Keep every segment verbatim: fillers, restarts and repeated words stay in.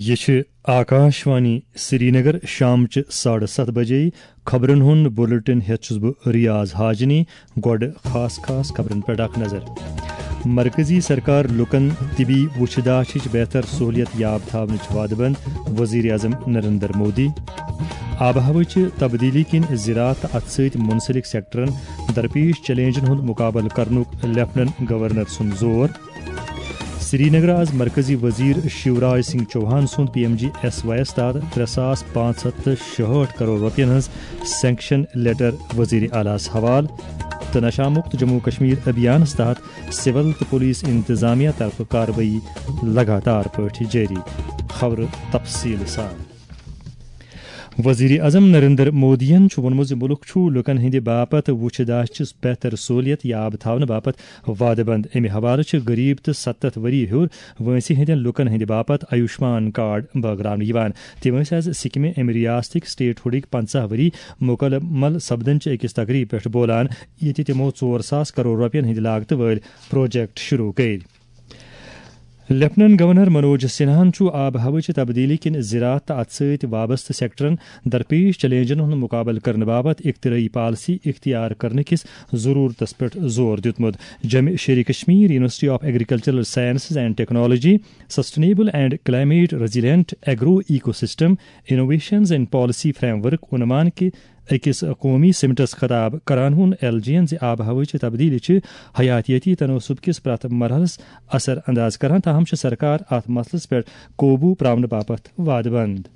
یہِ چھِ آکاشوانی سرینگر۔ شامچہِ ساڑٕ ستھ بجے خبرن ہُنٛد بُلٹن ہٮ۪تھ چھُس بہٕ ریاض حاجنی۔ گۄڈٕ خاص خاص خبرن پٮ۪ٹھ اکھ نظر۔ مرکزی سرکار لوٗکن طبی وُچھِ داشٕچ بہتر سہوٗلیت یاب تھاونٕچ وعدٕ بنٛد، وزیر اعظم نریندر مودی۔ آب و ہوہٕچہِ تبدیلی کِنۍ زراعت تہٕ اتھ سۭتۍ منسلک سیکٹرن درپیش چیلنجن ہُنٛد مُقابلہٕ کرنُک لیفٹننٹ گورنر سُنٛد زور۔ سرینگر آز مرکزی وزیر شیوراج سنگھ چوہان سُنٛد P M G S Y یَس تحت ترٛےٚ ساس پانٛژھ ہَتھ تہٕ شُہٲٹھ کرور رۄپین ہٕنٛز سینکشن لیٹر وزیر اعلیٰ ہَس حوالہٕ۔ تہٕ نشہ مکت جموں کشمیر ابھیانس تحت سول تہٕ پولیس انتظامیہ طرفہٕ کاروٲیی لگاتار پٲٹھۍ جٲری۔ خبرٕ تفصیٖل سان۔ وزیر اعظم نریندر مودیَن چھُ ووٚنمُت زِ مُلُک چھُ لوٗکَن ہٕنٛدِ باپتھ وُچھِ داشٕچ بہتر سہوٗلیت یاب تھاونہٕ باپتھ وعدٕ بنٛد۔ اَمہِ حوالہٕ چھِ غریب تہٕ ستتھ ؤری ہیوٚر وٲنٛسہِ ہٕنٛدٮ۪ن لوٗکَن ہٕنٛدِ باپتھ آیوشمان کارڈ بٲگراونہٕ یِوان۔ تِم ٲسۍ آز سکمہِ اَمہِ ریاستٕکۍ سٹیٹ ہُڈٕکۍ پنٛژاہ ؤری مُکمل سپدنٕچہِ أکِس تقریٖب پٮ۪ٹھ بولان، ییٚتہِ تِمو ژور ساس کرور رۄپین ہٕنٛدِ لاگتہٕ وٲلۍ پروجیکٹ شروع کٔرۍ۔ لیفٹننٹ گورنر منوج سنہاہن چھُ آب و ہوہٕچہِ تبدیلی کِنۍ زراعت تہٕ اتھ سۭتۍ وابستہٕ سیکٹرن درپیش چیلنجن ہُنٛد مُقابلہٕ کرنہٕ باپتھ اختراعی پالیسی اختیار کرنہٕ کِس ضروٗرتس پٮ۪ٹھ زور دیُتمُت۔ جمع شیرِ Kashmir University of Agricultural Sciences and Technology Sustainable and Climate Resilient Agro Ecosystem Innovations and Policy Framework عنوان کہِ أکِس قومی سمٹس خطاب کران ووٚن ایل جی یَن زِ آب و ہوہٕچہِ تبدیلی چھِ حیاتیٲتی تناسب کِس پرٛٮ۪تھ مرحلس اثر انداز کران، تاہم چھِ سرکار اتھ مسلس پٮ۪ٹھ قوبو پراونہٕ باپتھ وعدٕ بنٛد۔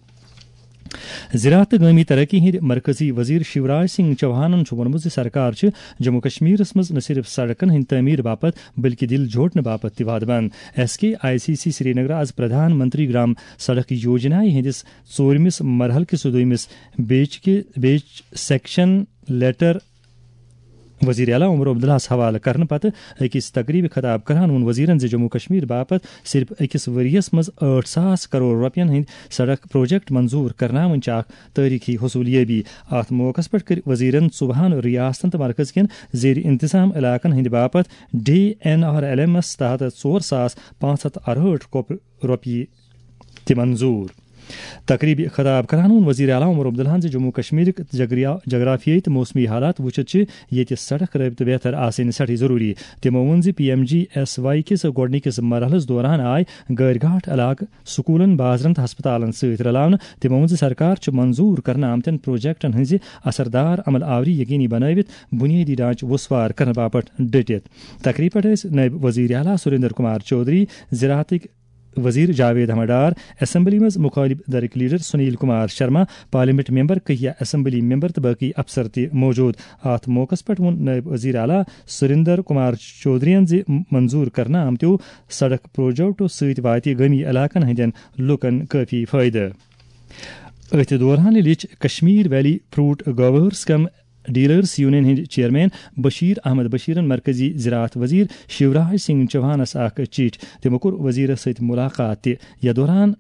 زراعت تہٕ گٲمی ترقی ہٕنٛدۍ مرکزی وزیر شیوراج سنگھ چوہانن چھُ ووٚنمُت زِ سرکار چھِ جموں کشمیرس منٛز نہ صرف سڑکن ہٕنٛدِ تعمیٖر باپتھ بلکہِ دِل جوڑنہٕ باپتھ تہِ وعدٕ بنٛد۔ S K I C C Srinagar آز پردھان منتری گرام سڑک یوجنا ہٕنٛدِس ژوٗرمِس مرحلہٕ کِس دوٚیمِس بیچ کہِ بیچ سیکشن لیٹر وزیر اعلیٰ عمر عبداللہَس حوالہٕ کرنہٕ پتہٕ أکِس تقریبہِ خطاب کران ووٚن وزیرن زِ جموں کشمیر باپتھ صرف أکِس ؤرۍ یَس منٛز ٲٹھ ساس کرور رۄپین ہٕنٛدۍ سڑک پروجیکٹ منظور کرناوٕنۍ چھِ اکھ تٲریخی حصوٗلیٲبی۔ اتھ موقعس پٮ۪ٹھ کٔرۍ وزیرن ژوٚوُہن ریاستن تہٕ مرکز کٮ۪ن زیر انتظام علاقن ہٕنٛدِ باپتھ ڈی این آر ایل ایمس تحت ژور ساس پانٛژھ ہتھ ارہٲٹھ کۄپ-، رۄپیہِ تہِ منظور۔ تقریبہِ خطاب کران ووٚن وزیر اعلیٰ عمر عبداللہَن زِ جموں کشمیرٕکۍ جگریا-، جغرافیٲیی تہٕ موسمی حالات وٕچھِتھ چھِ ییٚتہِ سڑک رٲبطہٕ بہتر آسٕنۍ سٮ۪ٹھاہ ضروٗری۔ تِمو ووٚن زِ P M G S Y کِس گۄڈٕنِکِس مرحلَس دوران آے غٲرۍ گاٹھ علاقہٕ سکوٗلن، بازرن تہٕ ہسپتالن سۭتۍ رلاونہٕ۔ تِمو ووٚن زِ سرکار چھِ منظور کرنہٕ آمتٮ۪ن پروجیکٹن ہٕنٛزِ اثردار عمل آوری یقینی بنٲوِتھ بنیٲدی ڈھانچہٕ وسوار کرنہٕ باپتھ ڈٔٹِتھ۔ تقریبہِ پٮ۪ٹھ ٲسۍ نٲیِب وزیر اعلیٰ سریندر کمار چودھری، زراعتٕکۍ وزیر جاوید احمد ڈار، اسمبلی منٛز مخالف دھڑٕکۍ leader Sunil Kumar Sharma, parliament member, کہیا اسمبلی ممبر تہٕ باقی افسر تہِ موجود۔ اتھ موقعس پٮ۪ٹھ ووٚن نٲیِب وزیر اعلیٰ سریندر کمار چودھرین زِ منظور کرنہٕ آمتیو سڑک پروجیکٹو سۭتۍ واتہِ گٲمی علاقن ہٕنٛدٮ۪ن لوٗکن کٲفی فٲیدٕ۔ أتھۍ دوران لیٚچھ کشمیر ویلی فروٹ گروٲرس کم ڈیلرز یونین ہٕنٛدۍ چیئرمین بشیر احمد بشیرن مرکزی زراعت وزیر شیوراج سنگھ چوہانس اکھ چٹھۍ۔ تِمو کوٚر وزیرس سۭتۍ ملاقات تہِ۔ یتھ دوران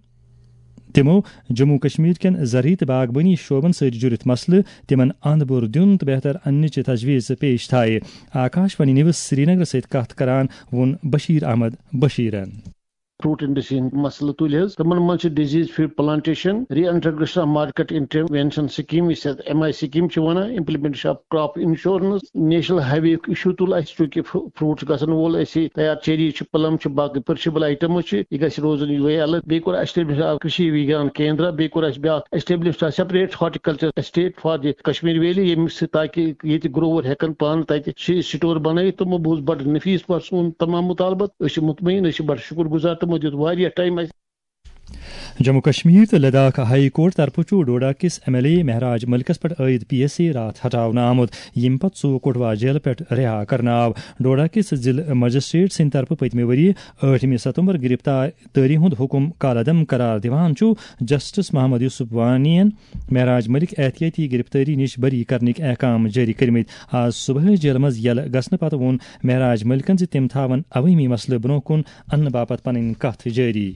تِمو جموں کشمیر کٮ۪ن زرعی تہٕ باغبٲنی شعبن سۭتۍ جُڑِتھ مسلہٕ، تِمن اند بور دیُن تہٕ بہتر اننٕچ تجویز پیش تھایہِ۔ آکاش وانی نیوز سرینگرس سۭتۍ کتھ کران ووٚن بشیر احمد بشیرن۔ فروٹ انڈسٹری ہٕنٛدۍ مسلہٕ تُلۍ حظ۔ تِمن منٛز چھِ disease free plantation, reintegration of market intervention scheme, یُس یتھ ایم آئی سکیم چھِ ونان، implementation of crop insurance, national highway یُک ایشو تُل اسہِ، چونکہ فروٹ چھُ گژھن وول اسہِ تیار، چیری چھُ، پلم چھُ، باقٕے پرشیبل آیٹمز چھِ، یہِ گژھِ روزُن یِہوٚے الگ۔ بیٚیہِ کوٚر اسٹیبلش اکھ کشی وگیان کیندرا، بیٚیہِ کوٚر اسہِ بیاکھ establish separate horticulture state for the Kashmir valley, ییٚمہِ سۭتۍ تاکہ ییٚتہِ گروور ہٮ۪کن پانہٕ تتہِ شی سٹور بنٲیِتھ۔ تِمو بوٗز بڑٕ نفیس پٲٹھۍ سون تمام مطالبہٕ۔ أسۍ چھِ مطمئن، أسۍ چھِ بڑٕ شکر گزار، تِمو دیُت واریاہ ٹائم اسہِ۔ جموں کشمیر تہٕ لداخ ہائی کورٹ طرفہٕ چھُ ڈوڈا کِس ایم ایل اے مہراج ملکس پٮ۪ٹھ عائد پی ایس اے راتھ ہٹاونہٕ آمُت، ییٚمہِ پتہٕ سُہ کوٹوا جیلہٕ پٮ۪ٹھ رہا کرنہٕ آو۔ ڈوڈا کِس ضلع مجسٹریٹ سٕنٛدِ طرفہٕ پٔتمہِ ؤرۍ یہِ ٲٹھمہِ ستمبر گرفتار تٲری ہُنٛد حُکُم کالعدم قرار دِوان چھُ جسٹس محمد یوسف وانی یَن مہراج ملک احتیاطی گرفتٲری نِش بری کرنٕکۍ احکام جٲری کٔرمٕتۍ۔ آز صبحٲے جیلہٕ منٛز یلہٕ گژھنہٕ پتہٕ ووٚن مہراج ملکن زِ تِم تھاون عوٲمی مسلہٕ برونٛہہ کُن اننہٕ باپتھ پنٕنۍ کتھ جٲری۔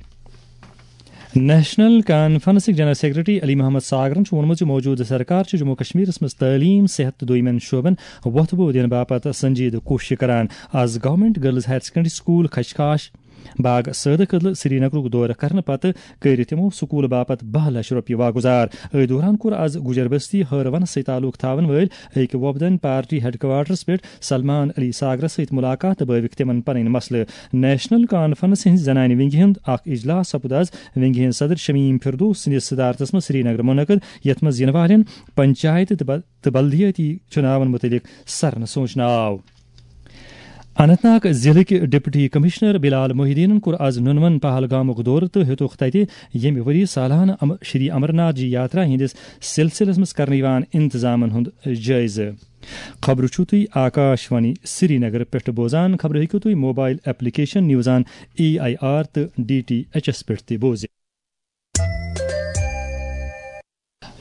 نیشنل کانفرنسٕکۍ جنرل سیکرٹری علی محمد ساگرن چھُ ووٚنمُت زِ موجودٕ سرکار چھِ جموں کشمیرس منٛز تعلیٖم، صحت تہٕ دوٚیمٮ۪ن شعبن وۄتھٕ بو دِنہٕ باپتھ سنجیدٕ کوٗشش کران۔ آز government girls higher secondary school خشخاش باغ سٲدٕ کدلہٕ سرینگرُک دورٕ کرنہٕ پتہٕ کٔرۍ تِمو سکوٗل باپتھ باہ لچھ رۄپیہِ واگُزار۔ أتھۍ دوران کوٚر از گُجر بستی ہٲروَنَس سۭتۍ تعلق تھاون وٲلۍ أکۍ وۄپدن پارٹی ہیڈ کوارٹرس پٮ۪ٹھ سلمان علی ساگرس سۭتۍ ملاقات تہٕ بٲوِکھ تِمن پنٕنۍ مسلہٕ۔ نیشنل کانفرنس ہٕنٛزِ زنانہِ ونگہِ ہُنٛد اکھ اجلاس سپُد از ونگہِ ہٕنٛدۍ صدر شمیم فردوس سٕنٛدِس صدارتس منٛز سرینگر منعقد، یتھ منٛز یِنہٕ والٮ۪ن پنچایت تہٕ بل-، تہٕ بلدیٲتی چُناون مُتعلق سرنہٕ سوچنہٕ آو۔ اننت ناگ ضلعٕکۍ ڈپٹی کمشنر بلال محی الدینن کوٚر از نُنون پہلگامُک دورٕ تہٕ ہیوٚتُکھ تتہِ ییٚمہِ ؤری سالانہٕ ام-، شری امرناتھ جی یاترا ہٕنٛدِس سلسلس منٛز کرنہٕ یِوان انتظامن ہُنٛد جٲیزٕ۔ خبرٕ چھِو تُہۍ آکاش وانی سرینگر پٮ۪ٹھ بوزان۔ خبرٕ ہیٚکِو تُہۍ mobile application news on A I R تہٕ ڈی ٹی ایچ ایس پٮ۪ٹھ تہِ بوٗزِتھ۔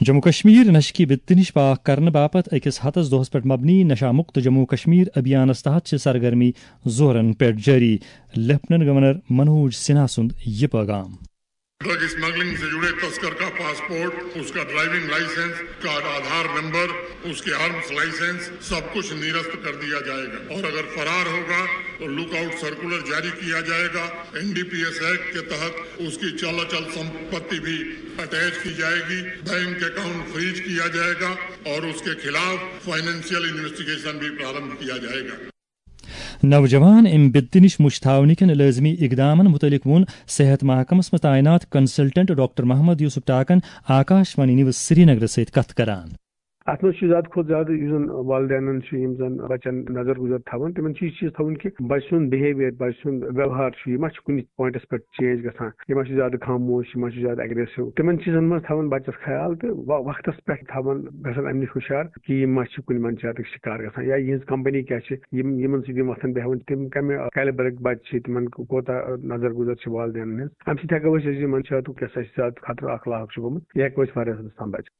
جموں کشمیر نشہٕ کہِ بِتہِ نِش پاک کرنہٕ باپتھ أکِس ہتس دۄہس پٮ۪ٹھ مبنی نشہ مکت جموں کشمیر ابھیانس تحت چھِ سرگرمی زورن پٮ۪ٹھ جٲری۔ لیفٹیننٹ گورنر منوج سنہا سُنٛد یہِ پیغام۔ ڈرگ اسمگلنگ سے جڑے تسکر کا پاسپورٹ، اس کا ڈرائیونگ لائسنس، اس کا آدھار نمبر، اس کے آرمز لائسنس، سب کچھ نرست کر دیا جائے گا اور اگر فرار ہوگا تو لک آؤٹ سرکولر جاری کیا جائے گا۔ N D P S act کے تحت اس کی چل اچل سمپتی بھی اٹیچ کی جائے گی، بینک اکاؤنٹ فریز کیا جائے گا اور اس کے خلاف فائنینشیل انویسٹیگیشن بھی پرارمبھ کیا جائے گا۔ نوجوان امہِ بِدتہِ نِش مُچھ تھاونہٕ کٮ۪ن لٲزمی اقدامن مُتعلق ووٚن صحت محکمس منٛز تعینات consultant doctor Mohammad Yousuf Takan Akashvani news سرینگرس سۭتۍ کتھ کران۔ اتھ منٛز چھُ زیادٕ کھۄتہٕ زیادٕ یُس زن والدینن چھِ، یِم زن بچن نظر گُزر تھاوان، تِمن چھِ یہِ چیٖز تھاوُن کہِ بچہٕ سُنٛد بِہیویئر، بچہٕ سُنٛد ویوہار چھُ، یہِ ما چھُ کُنہِ پوینٹس پٮ۪ٹھ چینج گژھان، یہِ ما چھُ زیادٕ خاموش، یہِ ما چھُ زیادٕ اگریسو۔ تِمن چیٖزن منٛز تھاوان بچس خیال تہٕ و-، وقتس پٮ۪ٹھ تھاوان گژھان امہِ نِش ہُشار کہِ یِم ما چھِ کُنہِ منشیاتٕکۍ شکار گژھان یا یِہنٛز کمپنی کیٛاہ چھِ، یِم یِمن سۭتۍ یِم وۄتھان بیٚہوان، تِم کمہِ کیلبرٕکۍ بچہٕ چھِ، تِمن کوتاہ نظر گُزر چھِ والدینن ہٕنٛز۔ امہِ سۭتۍ ہٮ۪کو أسۍ، أسۍ یہِ منشیاتُک یۄس اَسہِ زیادٕ خطرٕ اکھ لاحق چھُ گوٚمُت، یہِ ہٮ۪کو أسۍ واریاہس حدس تام بچٲوِتھ۔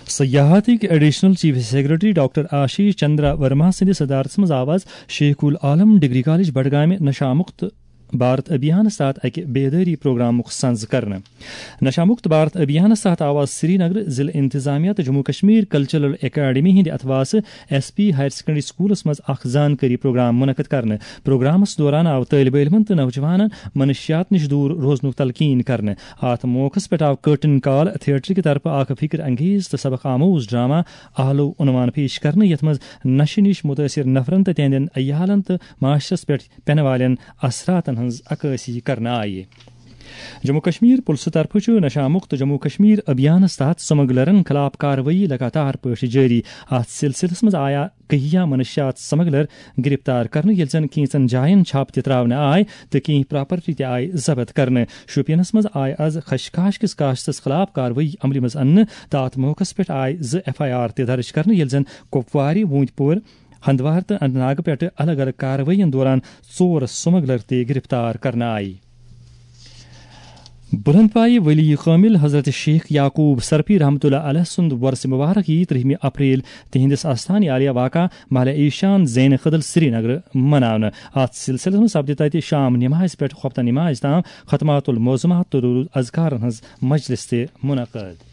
سیاحتٕکۍ additional chief secretary doctor Ashish Chandra Verma سٕنٛدِس صدارتس منٛز آو از شیخ العالم ڈگری کالج بڈگامہِ نشہ مکت بھارت ابھیانس تحت اکہِ بیدٲری پروگرامُک سنز کرنہٕ۔ نشہ مکت بھارت ابھیانس تحت آو از سرینگر ضلع انتظامیہ تہٕ جموں کشمیر کلچرل اکیڈمی ہٕنٛدِ اتھواسہٕ ایس پی ہایر سیکنڈری سکولس منٛز اکھ زانکٲری پروگرام منعقد کرنہٕ۔ پروگرامس دوران آو طٲلب علمن تہٕ نوجوانن منشیات نِش دوٗر روزنُک تلقین کرنہٕ۔ اتھ موقعس پٮ۪ٹھ آو کرٹن کال تھیٹر کہِ طرفہٕ اکھ فکر انگیز تہٕ سبق آموز ڈرامہ آلو عنوان پیش کرنہٕ، یتھ منٛز نشہٕ نِش متٲثر نفرن تہٕ تِہنٛدٮ۪ن عیالن تہٕ معاشرس پٮ۪ٹھ پینہٕ والٮ۪ن اثراتن ہٕنٛز عکٲسی کرنہٕ آیہِ۔ جموں کشمیر پُلسہٕ طرفہٕ چھُ نشہ مکت جموں کشمیر ابھیانس تحت سمگلرن خلاف کاروٲیی لگاتار پٲٹھۍ جٲری۔ اتھ سلسلس منٛز آیا کہیا منشیات سمگلر گرفتار کرنہٕ، ییٚلہِ زن کینٛژن جاین چھاپہٕ تہِ تراونہٕ آے تہٕ کینٛہہ پراپرٹی تہِ آیہِ ضبط کرنہٕ۔ شوپینس منٛز آیہِ از خشخاش کِس کاشتس خلاف کاروٲیی عملہِ منٛز اننہٕ تہٕ اتھ موقعس پٮ۪ٹھ آیہِ زٕ ایف آئی آر تہِ درج کرنہٕ، ییٚلہِ زن کپوارِ، ووٗنتۍ پور، ہندوار تہٕ اننت ناگہٕ پٮ۪ٹھٕ الگ الگ کاروٲیین دوران ژور سمگلر تہِ گرفتار کرنہٕ آیہِ۔ بلند پایہِ ولی کامل حضرت شیخ یعقوب سرپی رحمۃ اللہ علیہ سُنٛد وۄرثہٕ مبارک یی ترٛہمہِ اپریل تِہنٛدِس آستانہِ عالیہ واقع محلہ ایشان زین خدل سرینگر مناونہٕ۔ اتھ سلسلس منٛز سپدِ تتہِ شام نمازِ پٮ۪ٹھ خۄفتن نمازِ تام ختمات المعظمات تہٕ درود اذکارن ہٕنٛز مجلس تہِ منعقد۔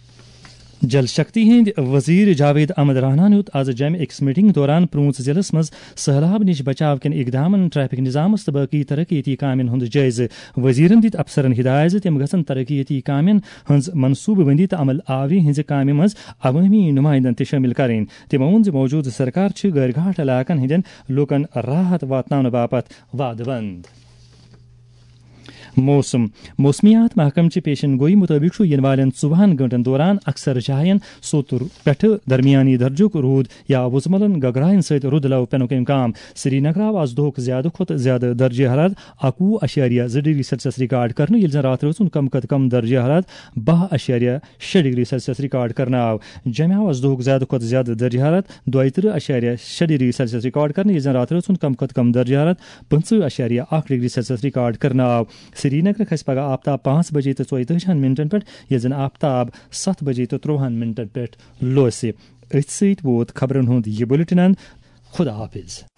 جل شکتی ہٕنٛدۍ وزیر جاوید احمد رانا ہن ہیوٚت از جامہِ أکِس میٹنگ دوران پرونژھ ضلعس منٛز سہلاب نِش بچاو کٮ۪ن اقدامن، ٹریفک نظامس تہٕ باقی ترقیتی کامٮ۪ن ہُنٛد جٲیزٕ۔ وزیرن دِتۍ افسرن ہدایت زِ تِم گژھن ترقیتی کامٮ۪ن ہٕنٛز منصوبہٕ بندی تہٕ عمل آوری ہٕنٛزِ کامہِ منٛز عوٲمی نمائندن تہِ شٲمِل کرٕنۍ۔ تِمو ووٚن زِ موجودٕ سرکار چھِ غٲر گاٹھ علاقن ہٕنٛدٮ۪ن لوٗکن راحت واتناونہٕ باپتھ وعدٕ بنٛد۔ موسم۔ موسمیات محکمہٕ چہِ پیشن گوئی مُطٲبِق چھُ یِنہٕ والٮ۪ن ژوٚوُہن گٲنٛٹن دوران اکثر جاین سوٚت پٮ۪ٹھٕ درمیانی درجُک روٗد یا وُزملن گگراین سۭتۍ رُد لو پینُک امکان۔ سرینگر آو از دۄہُک زیادٕ کھۄتہٕ زیادٕ درجہ حرارت اکوُہ اَشاریہ زٕ ڈگری سیلسیس ریکارڈ کرنہٕ، ییٚلہِ زن راتھ رٲژ ہُنٛد کم کھۄتہٕ کم درجہ حرارت باہ اَشاریہ شےٚ ڈگری سیلسیس ریکارڈ کرنہٕ آو۔ جمہِ آو از دۄہُک زیادٕ کھۄتہٕ زیادٕ درجہ حرارت دۄیہِ ترٕہ اَشاریہ شےٚ ڈگری سیلسیس ریکارڈ کرنہٕ، ییٚلہِ زن راتھ رٲژ ہُنٛد کم کھۄتہٕ کم درجہ حرارت پٕنٛژٕہ اَشاریہ اکھ ڈگری سیلسیس ریکارڈ کرنہٕ آو۔ سرینگر کھسہِ پگہہ آفتاب پانٛژھ بجے تہٕ ژۄیتٲجِہن منٹن پٮ۪ٹھ، ییٚلہِ زن آفتاب ستھ بجے تہٕ ترٛوہن منٹن پٮ۪ٹھ لوسہِ۔ أتھۍ سۭتۍ ووت خبرن ہُنٛد یہِ بُلٹن اند۔ خدا حافظ۔